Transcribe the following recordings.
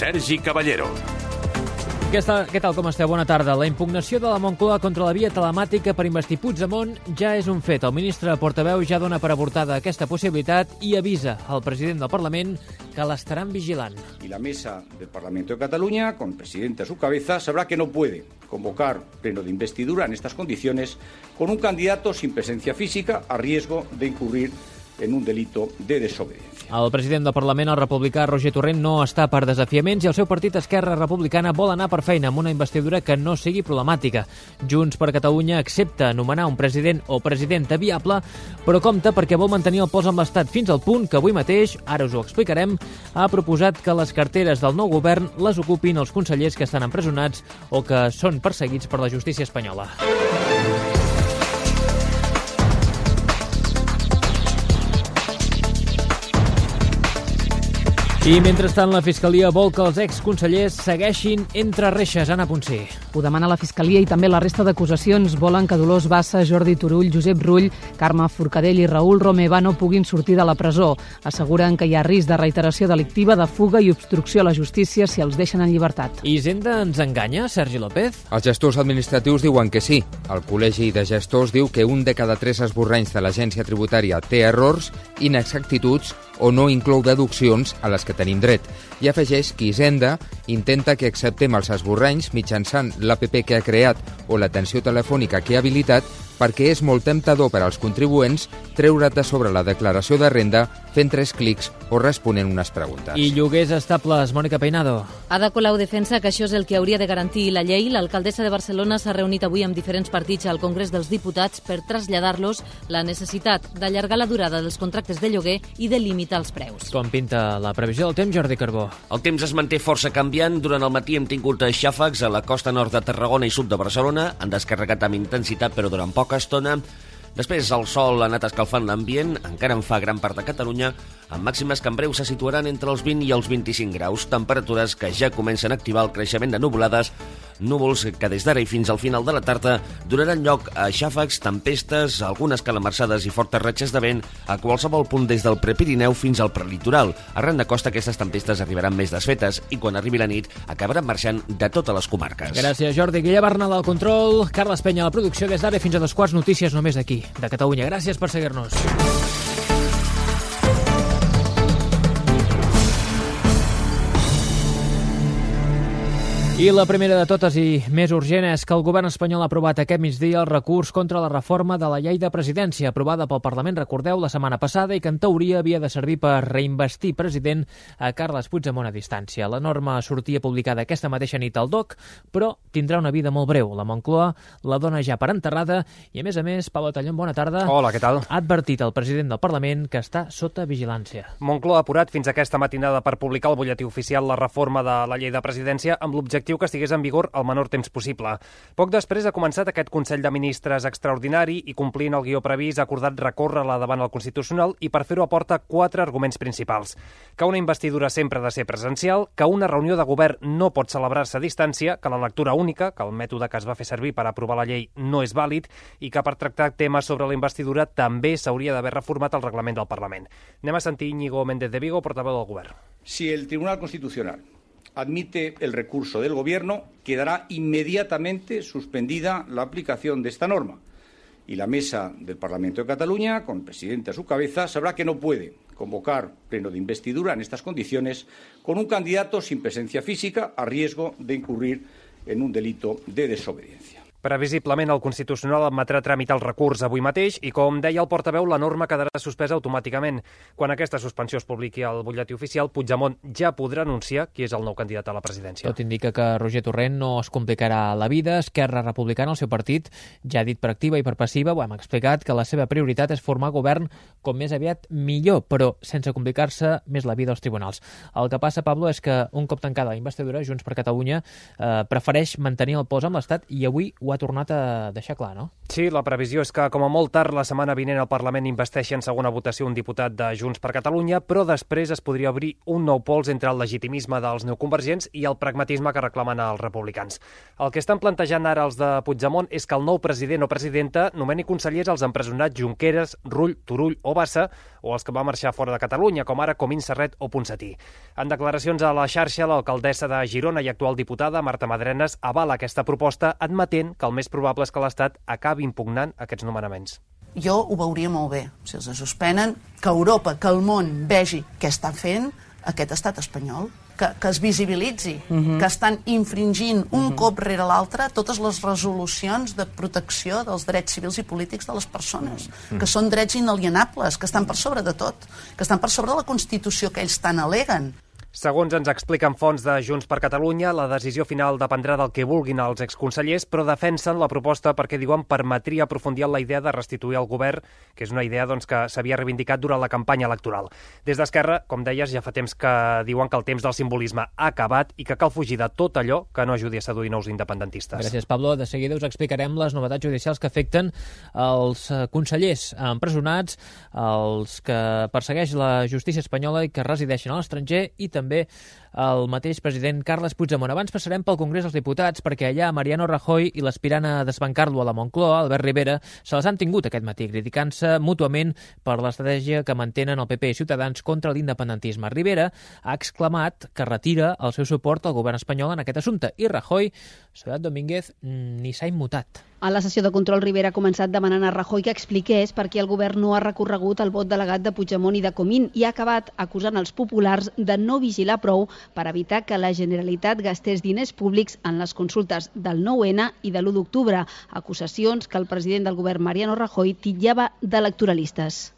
Sergi Caballero. Què tal, com esteu? Bona tarda. La impugnació de la Moncloa contra la via telemàtica per investir Puigdemont ja és un fet. El ministre portaveu ja dona per avortada aquesta possibilitat i avisa al president del Parlament que l'estaran vigilant. Y la mesa del Parlamento de Cataluña, con el presidente a su cabeza, sabrá que no puede convocar pleno de investidura en estas condiciones con un candidato sin presencia física a riesgo de incurrir en un delito de desobediencia. El president del Parlament, el republicà Roger Torrent, no està per desafiaments i el seu partit Esquerra Republicana vol anar per feina amb una investidura que no sigui problemàtica. Junts per Catalunya accepta anomenar un president o presidenta viable, però compta perquè vol mantenir el pols amb l'Estat fins al punt que avui mateix, ara us ho explicarem, ha proposat que les carteres del nou govern les ocupin els consellers que estan empresonats o que són perseguits per la justícia espanyola. I, mentrestant, la Fiscalia vol que els exconsellers segueixin entre reixes. Anna Ponsí. Ho demana la Fiscalia i també la resta d'acusacions volen que Dolors Bassa, Jordi Turull, Josep Rull, Carme Forcadell i Raül Romeva no puguin sortir de la presó. Asseguren que hi ha risc de reiteració delictiva, de fuga i obstrucció a la justícia si els deixen en llibertat. I Hisenda ens enganya, Sergi López? Els gestors administratius diuen que sí. El Col·legi de Gestors diu que 1 de cada 3 esborranys de l'agència tributària té errors, inexactituds o no inclou deduccions a les que tenim dret. I afegeix que Hisenda intenta que acceptem els esborranys mitjançant l'APP que ha creat o l'atenció telefònica que ha habilitat perquè és molt temptador per als contribuents treure't de sobre la declaració de renda fent 3 clics o responent unes preguntes. I lloguers estables, Mònica Peinado. Ada Colau defensa que això és el que hauria de garantir la llei. L'alcaldessa de Barcelona s'ha reunit avui amb diferents partits al Congrés dels Diputats per traslladar-los la necessitat d'allargar la durada dels contractes de lloguer i de limitar els preus. Com pinta la previsió del temps, Jordi Carbó? El temps es manté força canviant. Durant el matí hem tingut xàfecs a la costa nord de Tarragona i sud de Barcelona. Han descarregat amb intensitat, però durant poca estona. Després el sol ha anat escalfant l'ambient, encara en fa gran part de Catalunya, amb màximes que en breu se situaran entre els 20 i els 25 graus, temperatures que ja comencen a activar el creixement de nuvolades, núvols que des d'ara i fins al final de la tarda donaran lloc a xàfecs, tempestes, algunes calamarsades i fortes ratxes de vent a qualsevol punt des del Prepirineu fins al prelitoral. Arran de costa aquestes tempestes arribaran més desfetes i quan arribi la nit acabaran marxant de totes les comarques. Gràcies, Jordi. Guillem Bernal al control, Carles Penya a la producció, des d'ara fins a 2:15 notícies només d'aquí, de Catalunya. Gràcies per seguir-nos. I la primera de totes i més urgent és que el govern espanyol ha aprovat aquest migdia el recurs contra la reforma de la llei de presidència aprovada pel Parlament, recordeu, la setmana passada i que en teoria havia de servir per reinvestir president a Carles Puigdemont a distància. La norma sortia publicada aquesta mateixa nit al DOC, però tindrà una vida molt breu. La Moncloa la dona ja per enterrada i, a més, Pablo Tallón, bona tarda. Hola, què tal? Ha advertit el president del Parlament que està sota vigilància. Moncloa ha apurat fins aquesta matinada per publicar al butlletí oficial la reforma de la llei de presidència amb l'objectiu que estigués en vigor el menor temps possible. Poc després ha començat aquest Consell de Ministres extraordinari i, complint el guió previst, ha acordat recórrer-la davant el Constitucional i per fer-ho aporta 4 arguments principals. Que una investidura sempre ha de ser presencial, que una reunió de govern no pot celebrar-se a distància, que la lectura única, que el mètode que es va fer servir per aprovar la llei no és vàlid i que per tractar temes sobre la investidura també s'hauria d'haver reformat el reglament del Parlament. Anem a sentir Íñigo Méndez de Vigo, portaveu del govern. Si el Tribunal Constitucional admite el recurso del Gobierno, quedará inmediatamente suspendida la aplicación de esta norma. Y la mesa del Parlamento de Cataluña, con el presidente a su cabeza, sabrá que no puede convocar pleno de investidura en estas condiciones con un candidato sin presencia física a riesgo de incurrir en un delito de desobediencia. Previsiblement, el Constitucional admetrà tramitar el recurs avui mateix i, com deia el portaveu, la norma quedarà suspesa automàticament. Quan aquesta suspensió es publiqui al butlletí oficial, Puigdemont ja podrà anunciar qui és el nou candidat a la presidència. Tot indica que Roger Torrent no es complicarà la vida. Esquerra Republicana, el seu partit, ja ha dit per activa i per passiva, ho hem explicat, que la seva prioritat és formar govern com més aviat millor, però sense complicar-se més la vida als tribunals. El que passa, Pablo, és que un cop tancada la investidura, Junts per Catalunya prefereix mantenir el pols amb l'Estat i avui ho ho ha tornat a deixar clar, no? Sí, la previsió és que com a molt tard la setmana vinent el Parlament investeixi en segona votació un diputat de Junts per Catalunya, però després es podria obrir un nou pols entre el legitimisme dels neoconvergents i el pragmatisme que reclamen els republicans. El que estan plantejant ara els de Puigdemont és que el nou president o presidenta nomeni consellers als empresonats Junqueras, Rull, Turull o Bassa, o els que van marxar fora de Catalunya, com ara Comín, Serret o Ponsatí. En declaracions a la xarxa, l'alcaldessa de Girona i actual diputada, Marta Madrenas, avala aquesta proposta, admetent que el més probable és que l'Estat acabi impugnant aquests nomenaments. Jo ho veuria molt bé, si els suspenen, que Europa, que el món vegi què està fent aquest estat espanyol, que es visibilitzi, que estan infringint un cop rere l'altre totes les resolucions de protecció dels drets civils i polítics de les persones, que són drets inalienables, que estan per sobre de tot, que estan per sobre de la Constitució que ells tant aleguen. Segons ens expliquen fonts de Junts per Catalunya, la decisió final dependrà del que vulguin els exconsellers, però defensen la proposta perquè, diuen, permetria aprofundir en la idea de restituir el govern, que és una idea que s'havia reivindicat durant la campanya electoral. Des d'Esquerra, com deies, ja fa temps que diuen que el temps del simbolisme ha acabat i que cal fugir de tot allò que no ajudi a seduir nous independentistes. Gràcies, Pablo. De seguida us explicarem les novetats judicials que afecten els consellers empresonats, els que persegueix la justícia espanyola i que resideixen a l'estranger, i també el mateix president Carles Puigdemont. Abans passarem pel Congrés dels Diputats, perquè allà Mariano Rajoy i l'aspirant a desbancar-lo a la Moncloa, Albert Rivera, se les han tingut aquest matí, criticant-se mútuament per l'estratègia que mantenen el PP i Ciutadans contra l'independentisme. Rivera ha exclamat que retira el seu suport al govern espanyol en aquest assumpte, i Rajoy, Soledad Domínguez, ni s'ha immutat. A la sessió de control, Rivera ha començat demanant a Rajoy que expliqués per què el govern no ha recorregut el vot delegat de Puigdemont i de Comín, i ha acabat acusant els populars de no vigilar prou per evitar que la Generalitat gastés diners públics en les consultes del 9-N i de l'1 d'octubre, acusacions que el president del govern, Mariano Rajoy, titllava d'electoralistes.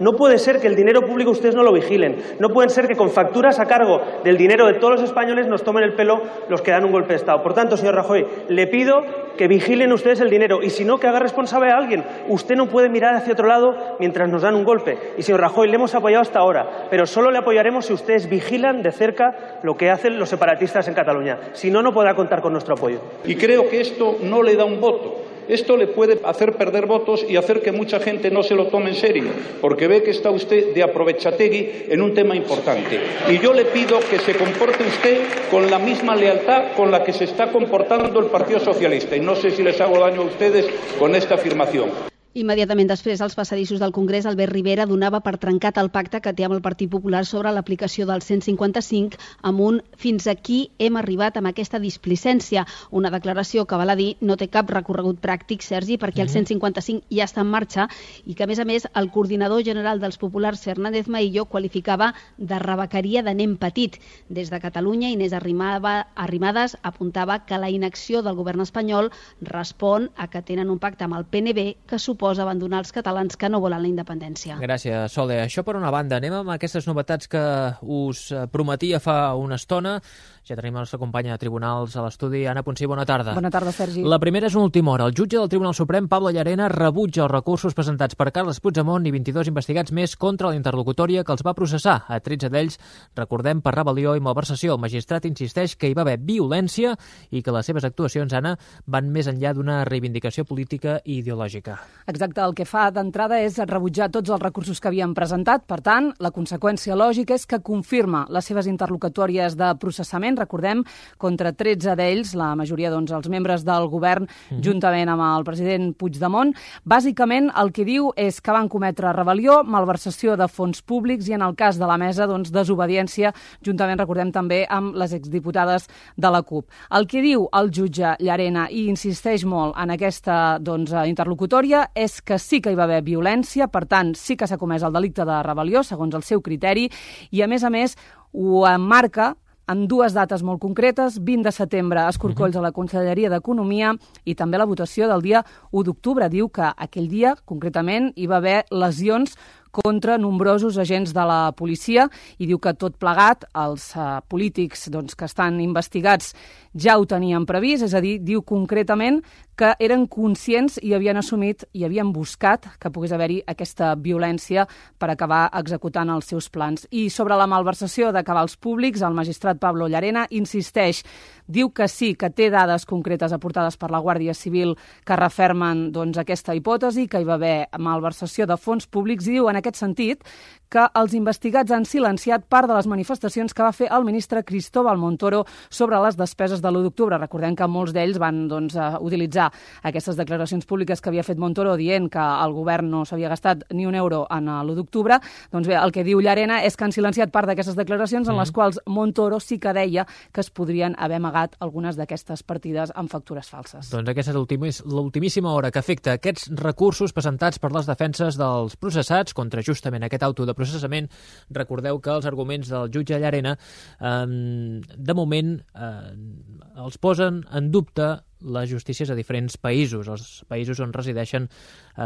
No puede ser que el dinero público ustedes no lo vigilen. No puede ser que con facturas a cargo del dinero de todos los españoles nos tomen el pelo los que dan un golpe de Estado. Por tanto, señor Rajoy, le pido que vigilen ustedes el dinero y si no, que haga responsable a alguien. Usted no puede mirar hacia otro lado mientras nos dan un golpe. Y señor Rajoy, le hemos apoyado hasta ahora, pero solo le apoyaremos si ustedes vigilan de cerca lo que hacen los separatistas en Cataluña. Si no, no podrá contar con nuestro apoyo. Y creo que esto no le da un voto. Esto le puede hacer perder votos y hacer que mucha gente no se lo tome en serio, porque ve que está usted de aprovechategui en un tema importante. Y yo le pido que se comporte usted con la misma lealtad con la que se está comportando el Partido Socialista. Y no sé si les hago daño a ustedes con esta afirmación. Immediatament després, als passadissos del Congrés, Albert Rivera donava per trencat el pacte que té amb el Partit Popular sobre l'aplicació del 155 amb un «fins aquí hem arribat amb aquesta displicència», una declaració que, val a dir, no té cap recorregut pràctic, Sergi, perquè el 155 ja està en marxa i que, a més, el coordinador general dels populars, Fernández Maillo, qualificava de rebequeria de nen petit. Des de Catalunya, Inés Arrimadas apuntava que la inacció del govern espanyol respon a que tenen un pacte amb el PNB que suposa abandonar els catalans que no volen la independència. Gràcies, Sole. Això per una banda. Anem amb aquestes novetats que us prometia fa una estona. Ja tenim la nostra companya de tribunals a l'estudi. Anna Ponsí, bona tarda. Bona tarda, Sergi. La primera és una última hora. El jutge del Tribunal Suprem, Pablo Llarena, rebutja els recursos presentats per Carles Puigdemont i 22 investigats més contra la interlocutòria que els va processar. A 13 d'ells, recordem, per rebel·lió i malversació. El magistrat insisteix que hi va haver violència i que les seves actuacions, Anna, van més enllà d'una reivindicació política i ideològica. Exacte, el que fa d'entrada és rebutjar tots els recursos que havien presentat. Per tant, la conseqüència lògica és que confirma les seves interlocutòries de processament, recordem, contra 13 d'ells, la majoria, els membres del govern, juntament amb el president Puigdemont. Bàsicament, el que diu és que van cometre rebel·lió, malversació de fons públics i, en el cas de la mesa, desobediència, juntament, recordem, també amb les exdiputades de la CUP. El que diu el jutge Llarena, i insisteix molt en aquesta interlocutòria, és que sí que hi va haver violència, per tant, sí que s'ha comès el delicte de rebel·lió, segons el seu criteri, i, a més, ho emmarca en dues dates molt concretes, 20 de setembre a Escorcolls a la Conselleria d'Economia i també la votació del dia 1 d'octubre. Diu que aquell dia, concretament, hi va haver lesions contra nombrosos agents de la policia i diu que tot plegat els polítics que estan investigats ja ho tenien previst, és a dir, diu concretament que eren conscients i havien assumit i havien buscat que pogués haver-hi aquesta violència per acabar executant els seus plans. I sobre la malversació de cabals públics, el magistrat Pablo Llarena insisteix diu que sí, que té dades concretes aportades per la Guàrdia Civil que refermen aquesta hipòtesi, que hi va haver malversació de fons públics, i diu en aquest sentit que els investigats han silenciat part de les manifestacions que va fer el ministre Cristóbal Montoro sobre les despeses de l'1 d'octubre. Recordem que molts d'ells van utilitzar aquestes declaracions públiques que havia fet Montoro dient que el govern no s'havia gastat ni un euro en l'1 d'octubre. Doncs bé, el que diu Llarena és que han silenciat part d'aquestes declaracions en les quals Montoro sí que deia que es podrien haver amagat algunes d'aquestes partides amb factures falses. Doncs aquesta és l'ultimíssima hora que afecta aquests recursos presentats per les defenses dels processats contra justament aquest auto de processament. Recordeu que els arguments del jutge Llarena de moment els posen en dubte les justícies a diferents països, els països on resideixen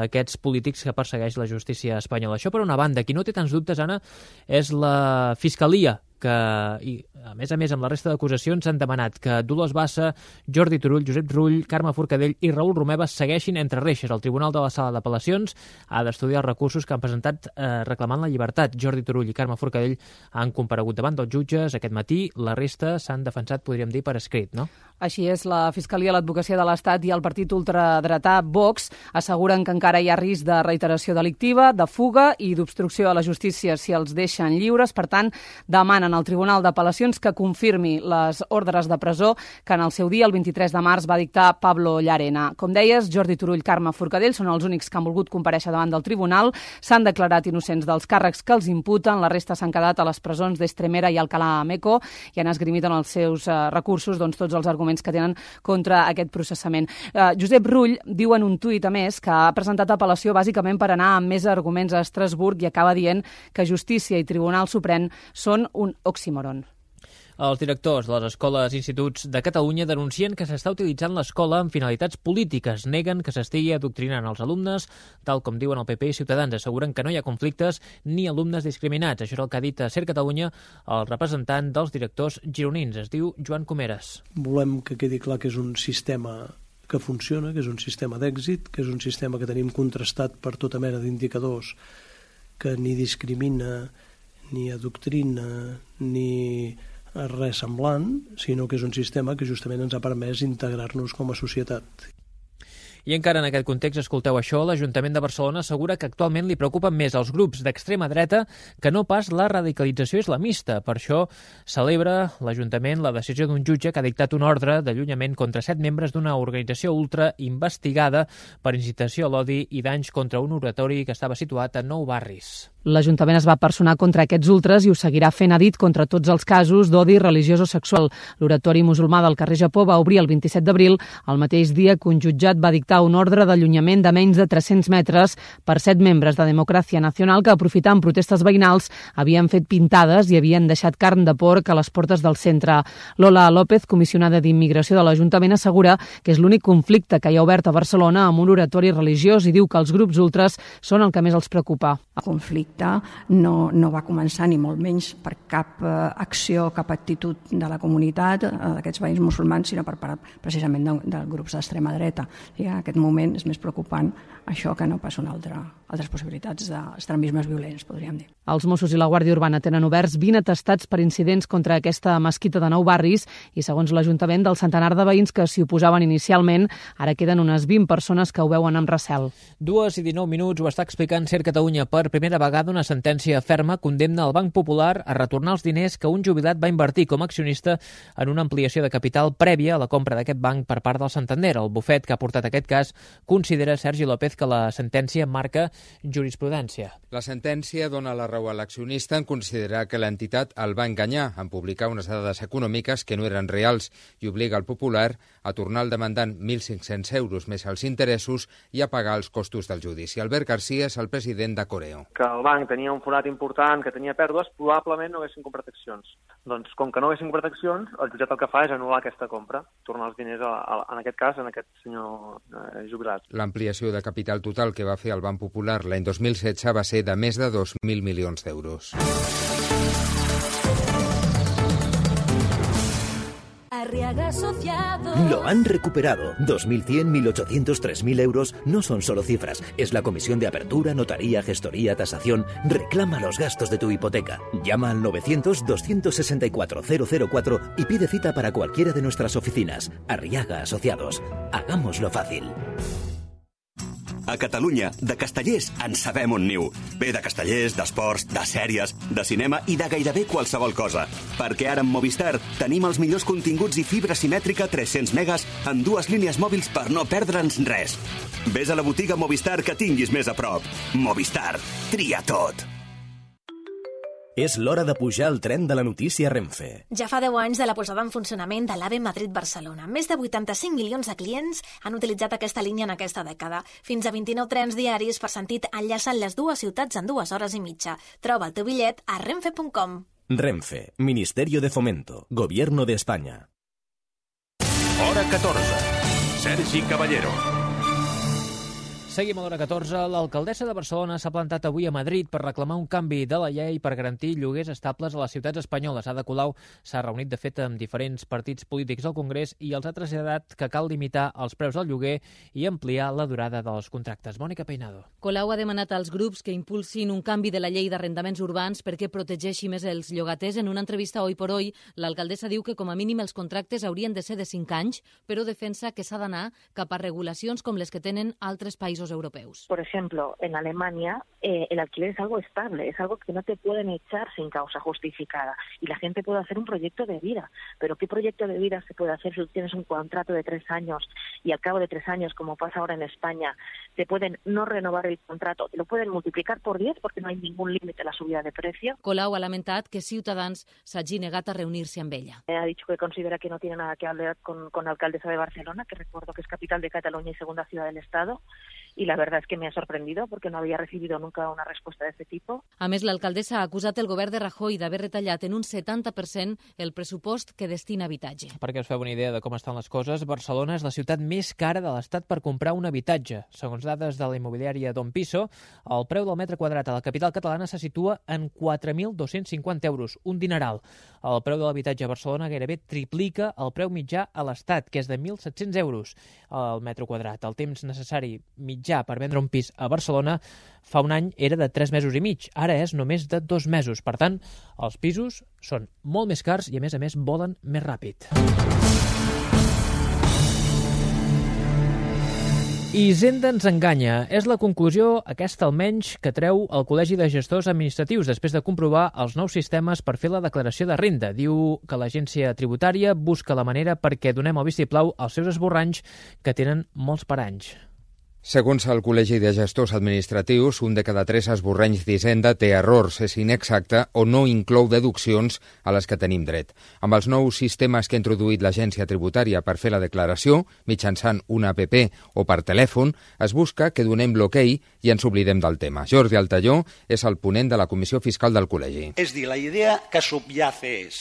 aquests polítics que persegueix la justícia espanyola. Això per una banda. Qui no té tants dubtes, Anna, és la Fiscalia, que, i a més, amb la resta d'acusacions han demanat que Dolors Bassa, Jordi Turull, Josep Rull, Carme Forcadell i Raül Romeva segueixin entre reixes. El Tribunal de la Sala d'Apel·lacions ha d'estudiar els recursos que han presentat reclamant la llibertat. Jordi Turull i Carme Forcadell han comparegut davant dels jutges aquest matí. La resta s'han defensat, podríem dir, per escrit, no? Així és, la Fiscalia, l'Advocacia de l'Estat i el partit ultradretà Vox asseguren que encara hi ha risc de reiteració delictiva, de fuga i d'obstrucció a la justícia si els deixen lliures. Per tant, demanen al Tribunal d'Apel·lacions que confirmi les ordres de presó que en el seu dia, el 23 de març, va dictar Pablo Llarena. Com deies, Jordi Turull, Carme Forcadell són els únics que han volgut comparèixer davant del tribunal. S'han declarat innocents dels càrrecs que els imputen. La resta s'han quedat a les presons d'Estremera i Alcalá Meco i han esgrimit en els seus recursos tots els arguments que tenen contra aquest processament. Josep Rull diu en un tuit, a més, que ha presentat apel·lació bàsicament per anar amb més arguments a Estrasburg i acaba dient que Justícia i Tribunal Suprem són un oxímoron. Els directors de les escoles i instituts de Catalunya denuncien que s'està utilitzant l'escola amb finalitats polítiques. Neguen que s'estigui adoctrinant els alumnes, tal com diuen el PP i Ciutadans. Asseguren que no hi ha conflictes ni alumnes discriminats. Això és el que ha dit a Ser Catalunya el representant dels directors gironins. Es diu Joan Comeres. Volem que quedi clar que és un sistema que funciona, que és un sistema d'èxit, que és un sistema que tenim contrastat per tota mena d'indicadors, que ni discrimina, ni adoctrina, ni res semblant, sinó que és un sistema que justament ens ha permès integrar-nos com a societat. I encara en aquest context, escolteu això, l'Ajuntament de Barcelona assegura que actualment li preocupen més els grups d'extrema dreta que no pas la radicalització islamista. Per això celebra l'Ajuntament la decisió d'un jutge que ha dictat un ordre d'allunyament contra 7 membres d'una organització ultra investigada per incitació a l'odi i danys contra un oratori que estava situat a 9 barris. L'Ajuntament es va personar contra aquests ultres i ho seguirà fent, ha dit, contra tots els casos d'odi religiós o sexual. L'oratori musulmà del carrer Japó va obrir el 27 d'abril, el mateix dia que un jutjat va dictar un ordre d'allunyament de menys de 300 metres per 7 membres de Democràcia Nacional que, aprofitant protestes veïnals, havien fet pintades i havien deixat carn de porc a les portes del centre. Lola López, comissionada d'Immigració de l'Ajuntament, assegura que és l'únic conflicte que hi ha obert a Barcelona amb un oratori religiós i diu que els grups ultres són el que més els preocupa. El conflicte no va començar ni molt menys per cap acció, cap actitud de la comunitat, d'aquests veïns musulmans, sinó per part precisament de grups d'extrema dreta. I en aquest moment és més preocupant això que no pas altres possibilitats d'extremismes violents, podríem dir. Els Mossos i la Guàrdia Urbana tenen oberts 20 atestats per incidents contra aquesta mesquita de 9 barris i, segons l'Ajuntament, del centenar de veïns que s'hi oposaven inicialment, ara queden unes 20 persones que ho veuen amb recel. 2:19 ho està explicant Ser Catalunya. Per primera vegada una sentència ferma condemna el Banc Popular a retornar els diners que un jubilat va invertir com a accionista en una ampliació de capital prèvia a la compra d'aquest banc per part del Santander. El bufet que ha portat aquest cas considera, Sergi López, que la sentència marca jurisprudència. La sentència dona la raó a l'accionista en considerar que l'entitat el va enganyar en publicar unes dades econòmiques que no eren reals i obliga el Popular a tornar al demandant 1.500 euros més els interessos i a pagar els costos del judici. Albert García és el president de Coreo. Que el banc tenia un forat important, que tenia pèrdues, probablement no haguessin comprat accions. Doncs, com que no haguessin comprat accions, el jutjat el que fa és anul·lar aquesta compra, tornar els diners, en aquest cas, en aquest senyor jubilat. L'ampliació de capital total que va fer el Banc Popular l'any 2016 va ser de més de 2.000 milions d'euros. Arriaga Asociados. Lo han recuperado. 2.100, 1.800, 3.000 euros no son solo cifras. Es la comisión de apertura, notaría, gestoría, tasación. Reclama los gastos de tu hipoteca. Llama al 900-264-004 y pide cita para cualquiera de nuestras oficinas. Arriaga Asociados. Hagámoslo fácil. A Catalunya, de castellers en sabem un niu. Ve de castellers, d'esports, de sèries, de cinema i de gairebé qualsevol cosa. Perquè ara amb Movistar tenim els millors continguts i fibra simètrica 300 megas en 2 línies mòbils per no perdre'ns res. Ves a la botiga Movistar que tinguis més a prop. Movistar. Tria tot. És l'hora de pujar al tren de la notícia Renfe. Ja fa 10 anys de la posada en funcionament de l'AVE Madrid-Barcelona. Més de 85 milions de clients han utilitzat aquesta línia en aquesta dècada. Fins a 29 trens diaris per sentit enllacen les dues ciutats en 2 hores i mitja. Troba el teu bitllet a renfe.com. Renfe, Ministerio de Fomento, Gobierno de España. Hora 14. Sergi Caballero. Seguim a l'hora 14. L'alcaldessa de Barcelona s'ha plantat avui a Madrid per reclamar un canvi de la llei per garantir lloguers estables a les ciutats espanyoles. Ada Colau s'ha reunit, de fet, amb diferents partits polítics al Congrés i els ha traslladat que cal limitar els preus del lloguer i ampliar la durada dels contractes. Mònica Peinado. Colau ha demanat als grups que impulsin un canvi de la llei d'arrendaments urbans perquè protegeixi més els llogaters. En una entrevista a Hoy por Hoy, l'alcaldessa diu que com a mínim els contractes haurien de ser de 5 anys, però defensa que s'ha d'anar cap a regulacions com les que tenen altres països europeos. Por ejemplo, en Alemania el alquiler es algo estable, es algo que no te pueden echar sin causa justificada y la gente puede hacer un proyecto de vida. Pero ¿qué proyecto de vida se puede hacer si tienes un contrato de 3 años y al cabo de 3 años, como pasa ahora en España, te pueden no renovar el contrato, te lo pueden multiplicar por 10 porque no hay ningún límite a la subida de precio? Colau ha lamentat que Ciutadans s'hagi negat a reunir-se amb ella. Ha dicho que considera que no tiene nada que hablar con la alcaldesa de Barcelona, que recuerdo que es capital de Cataluña y segunda ciudad del Estado. Y la verdad es que me ha sorprendido porque no había recibido nunca una respuesta de este tipo. A més, l'alcaldessa ha acusat el govern de Rajoy d'haver retallat en un 70% el pressupost que destina a habitatge. Perquè us feu una idea de com estan les coses, Barcelona és la ciutat més cara de l'Estat per comprar un habitatge. Segons dades de la immobiliària Don Piso, el preu del metre quadrat a la capital catalana se situa en 4.250 euros, un dineral. El preu de l'habitatge a Barcelona gairebé triplica el preu mitjà a l'Estat, que és de 1.700 euros al metre quadrat. El temps necessari mitjà per vendre un pis a Barcelona fa un any era de 3 mesos i mig, ara és només de 2 mesos. Per tant, els pisos són molt més cars i, a més, volen més ràpid. Hisenda ens enganya. És la conclusió, aquesta almenys, que treu el Col·legi de Gestors Administratius després de comprovar els nous sistemes per fer la declaració de renda. Diu que l'agència tributària busca la manera perquè donem el vistiplau als seus esborranys que tenen molts paranys. Segons el Col·legi de Gestors Administratius, un de cada 3 esborranys d'Hisenda té errors, és inexacte o no inclou deduccions a les que tenim dret. Amb els nous sistemes que ha introduït l'agència tributària per fer la declaració, mitjançant una app o per telèfon, es busca que donem l'ok i ens oblidem del tema. Jordi Altalló és el ponent de la Comissió Fiscal del Col·legi. És dir, la idea que subyace és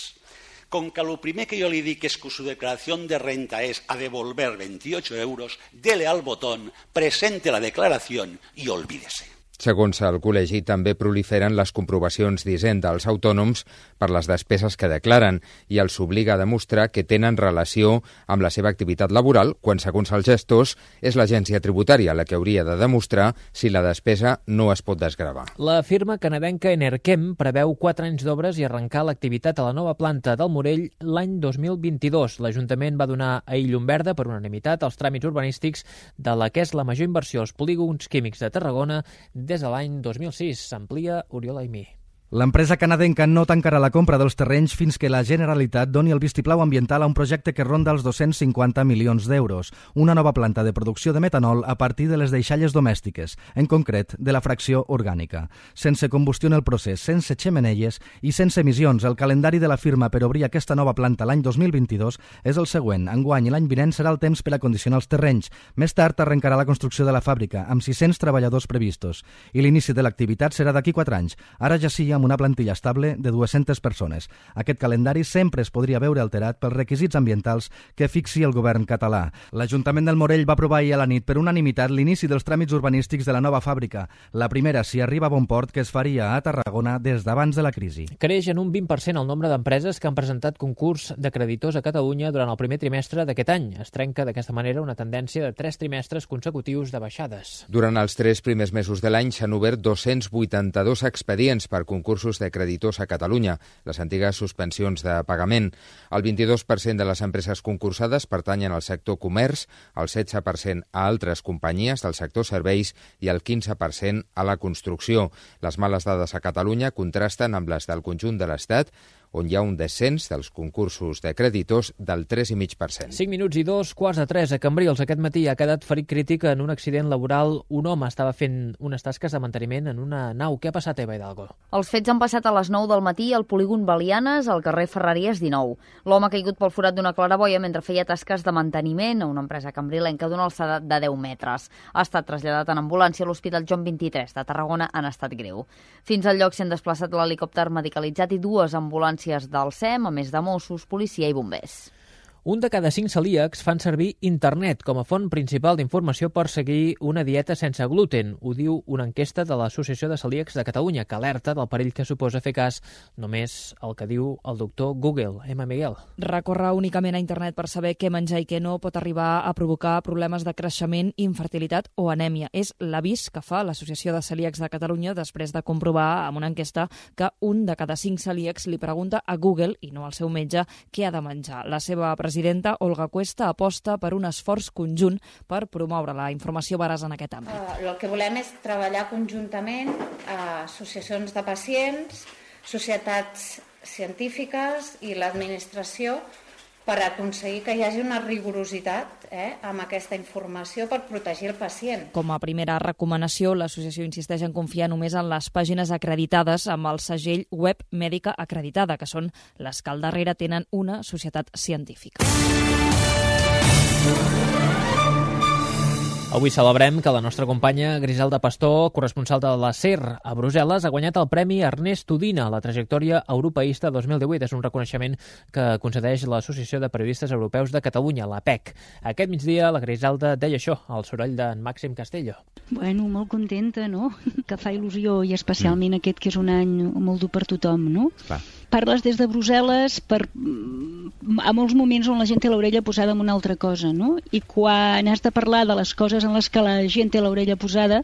con que lo primer que yo le di que es que su declaración de renta es a devolver 28 euros, dele al botón, presente la declaración y olvídese. Segons el Col·legi, també proliferen les comprovacions d'Hisenda als autònoms per les despeses que declaren i els obliga a demostrar que tenen relació amb la seva activitat laboral, quan, segons els gestors, és l'agència tributària la que hauria de demostrar si la despesa no es pot desgravar. La firma canadenca Enerkem preveu 4 anys d'obres i arrencar l'activitat a la nova planta del Morell l'any 2022. L'Ajuntament va donar ahir llum verda per unanimitat als tràmits urbanístics de la que és la major inversió als polígons químics de Tarragona des de l'any 2006. S'amplia Oriol Aimí. L'empresa canadenca no tancarà la compra dels terrenys fins que la Generalitat doni el vistiplau ambiental a un projecte que ronda els 250 milions d'euros, una nova planta de producció de metanol a partir de les deixalles domèstiques, en concret de la fracció orgànica. Sense combustió en el procés, sense xemeneies i sense emissions, el calendari de la firma per obrir aquesta nova planta l'any 2022 és el següent. Enguany i l'any vinent serà el temps per acondicionar els terrenys. Més tard arrencarà la construcció de la fàbrica, amb 600 treballadors previstos. I l'inici de l'activitat serà d'aquí 4 anys. Ara ja sí amb una plantilla estable de 200 persones. Aquest calendari sempre es podria veure alterat pels requisits ambientals que fixi el govern català. L'Ajuntament del Morell va aprovar ahir a la nit per unanimitat l'inici dels tràmits urbanístics de la nova fàbrica. La primera, si arriba a bon port, que es faria a Tarragona des d'abans de la crisi. Creix en un 20% el nombre d'empreses que han presentat concurs de creditors a Catalunya durant el primer trimestre d'aquest any. Es trenca d'aquesta manera una tendència de 3 trimestres consecutius de baixades. Durant els 3 primers mesos de l'any s'han obert 282 expedients per concursos de creditors a Catalunya, les antigues suspensions de pagament. El 22% de les empreses concursades pertanyen al sector comerç, el 16% a altres companyies del sector serveis i el 15% a la construcció. Les males dades a Catalunya contrasten amb les del conjunt de l'Estat, on hi ha un descens dels concursos de creditors del 3,5%. 5 minuts i 2:15 a Cambrils. Aquest matí ha quedat ferit crític en un accident laboral. Un home estava fent unes tasques de manteniment en una nau. Què ha passat, Eva Hidalgo? Els fets han passat a les 9 del matí al polígon Belianes, al carrer Ferreries 19. L'home ha caigut pel forat d'una claraboia mentre feia tasques de manteniment a una empresa cambrilenca d'una alçada de 10 metres. Ha estat traslladat en ambulància a l'Hospital Joan 23 de Tarragona en estat greu. Fins al lloc s'han desplaçat l'helicòpter medicalitzat i 2 ambulàncies del SEM, a més de Mossos, policia i bombers. Un de cada 5 celíacs fan servir internet com a font principal d'informació per seguir una dieta sense gluten. Ho diu una enquesta de l'Associació de Celíacs de Catalunya, que alerta del perill que suposa fer cas només el que diu el doctor Google. Emma Miguel. Recórrer únicament a internet per saber què menjar i què no pot arribar a provocar problemes de creixement, infertilitat o anèmia. És l'avís que fa l'Associació de Celíacs de Catalunya després de comprovar amb una enquesta que un de cada 5 celíacs li pregunta a Google, i no al seu metge, què ha de menjar. La seva presidenta, Olga Cuesta, aposta per un esforç conjunt per promoure la informació veraç en aquest àmbit. El que volem és treballar conjuntament a associacions de pacients, societats científiques i l'administració per aconseguir que hi hagi una rigorositat amb aquesta informació per protegir el pacient. Com a primera recomanació, l'associació insisteix en confiar només en les pàgines acreditades amb el segell web mèdica acreditada, que són les que al darrere tenen una societat científica. Avui celebrem que la nostra companya Griselda Pastor, corresponsal de la SER a Brussel·les, ha guanyat el Premi Ernest Udina a la trajectòria europeista 2018. És un reconeixement que concedeix l'Associació de Periodistes Europeus de Catalunya, la PEC. Aquest migdia la Griselda deia això, al soroll d'en Màxim Castelló. Bueno, molt contenta, no? Que fa il·lusió, i especialment aquest que és un any molt dur per tothom, no? Clar. Parles des de Brussel·les a molts moments on la gent té l'orella posada en una altra cosa, no? I quan has de parlar de les coses en les que la gent té l'orella posada,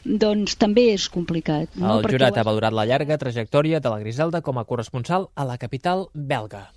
doncs també és complicat. No? El jurat ha valorat la llarga trajectòria de la Griselda com a corresponsal a la capital belga.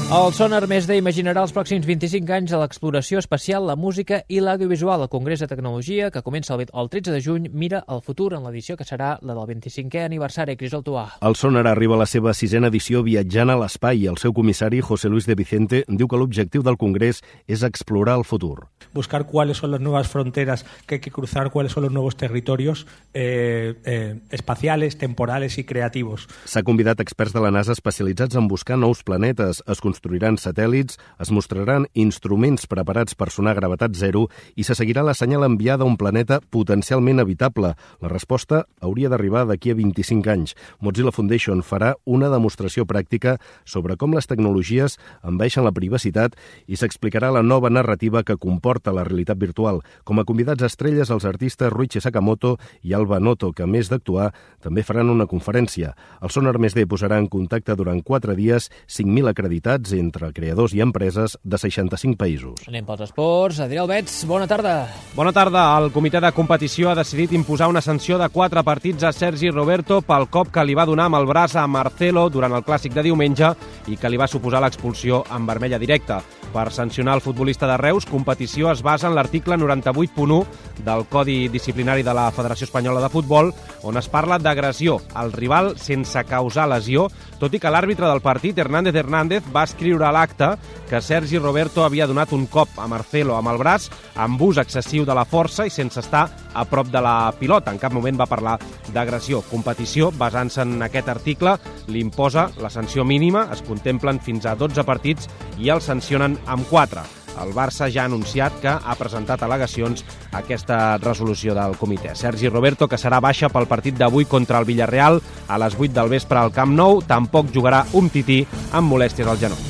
El Sonar Més imaginarà els pròxims 25 anys a l'exploració espacial, la música i l'audiovisual. El Congrés de Tecnologia, que comença el 13 de juny, mira el futur en l'edició que serà la del 25è aniversari. Crisol Tuà. El Sonar arriba a la seva 6a edició viatjant a l'espai. El seu comissari, José Luis de Vicente, diu que l'objectiu del Congrés és explorar el futur. Buscar cuáles son las nuevas fronteras que hay que cruzar, cuáles son los nuevos territorios espaciales, temporales y creativos. S'ha convidat experts de la NASA especialitzats en buscar nous planetes. Es construiran satèl·lits, es mostraran instruments preparats per sonar a gravetat zero i se seguirà la senyal enviada a un planeta potencialment habitable. La resposta hauria d'arribar d'aquí a 25 anys. Mozilla Foundation farà una demostració pràctica sobre com les tecnologies envaeixen la privacitat i s'explicarà la nova narrativa que comporta la realitat virtual. Com a convidats estrelles, els artistes Ruichi Sakamoto i Alba Noto, que a més d'actuar, també faran una conferència. El Sonar Més posarà en contacte durant 4 dies 5.000 acreditats entre creadors i empreses de 65 països. Anem pels esports. Adrià Albets, bona tarda. Bona tarda. El comitè de competició ha decidit imposar una sanció de 4 partits a Sergi Roberto pel cop que li va donar amb el braç a Marcelo durant el clàssic de diumenge i que li va suposar l'expulsió en vermella directa. Per sancionar el futbolista de Reus, competició es basa en l'article 98.1 del Codi Disciplinari de la Federació Espanyola de Futbol, on es parla d'agressió al rival sense causar lesió, tot i que l'àrbitre del partit, Hernández, va escriure a l'acte que Sergi Roberto havia donat un cop a Marcelo amb el braç amb ús excessiu de la força i sense estar a prop de la pilota. En cap moment va parlar d'agressió. Competició, basant-se en aquest article, li imposa la sanció mínima, es contemplen fins a 12 partits i el sancionen amb 4. el Barça ja ha anunciat que ha presentat al·legacions a aquesta resolució del comitè. Sergi Roberto, que serà baixa pel partit d'avui contra el Villarreal a les 8 del vespre al Camp Nou, tampoc jugarà Umtiti amb molèsties al genoll.